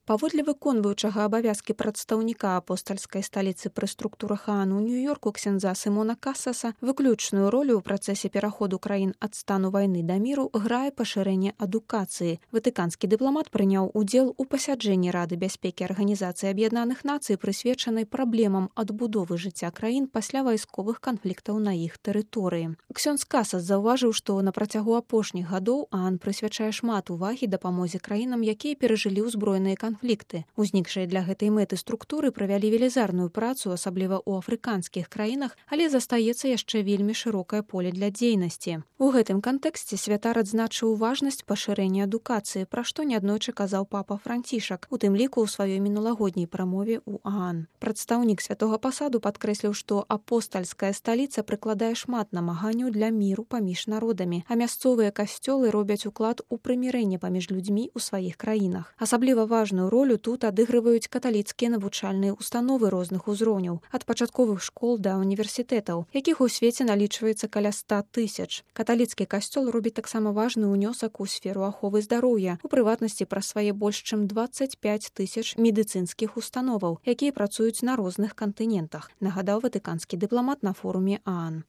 Паводле выконваючага абавязкі прадстаўніка апостальскай сталіцы пры структурах ААН у Нью-Йорку ксяндза Сімона Касаса выключную ролю ў працэсе пераходу краін ад стану вайны да міру грае пашырэнне адукацыі. Ватыканскі дыпламат прыняў удзел у пасяджэнні Рады бяспекі Арганізацыі Аб'яднаных Нацый, прысвечанай праблемам адбудовы жыцця краін пасля вайсковых канфліктаў на іх тэрыторыі. Ксёндз Касас заўважыў, што на працягу апошніх гадоў ААН прысвячае шмат увагі дапамозе краінам, якія перажылі ўзброеныя канфлікты. Узнікшыя для гэтай мэты структуры правялі велізарную працу, асабліва ў афрыканскіх краінах, але застаецца яшчэ вельмі шырокае поле для дзейнасці. У гэтым кантэксце святар адзначыў важнасць пашырэння адукацыі, пра што неаднойчы казаў папа Францішак, у тым ліку ў сваёй мінулагодняй прамове ў ААН. Прадстаўнік святога пасаду падкрэсліў, што апостальская сталіца прыкладае шмат намаганняў для міру паміж народамі, а мясцовыя касцёлы робяць уклад у прымірэнне паміж людзьмі ў сваіх краінах. Асабліва важную ролю тут адыгрываюць каталіцкія навучальныя установы розных узроўняў, ад пачатковых школ да універсітэтаў, якіх у свеце налічваецца каля 100 000. Каталіцкі касцёл робіць таксама важны ўнёсак у сферу аховы здароўя, у прыватнасці праз свае больш чым 25 000 медыцынскіх установаў, якія працуюць на розных кантынентах, нагадаў ватыканскі дыпламат на форуме ААН.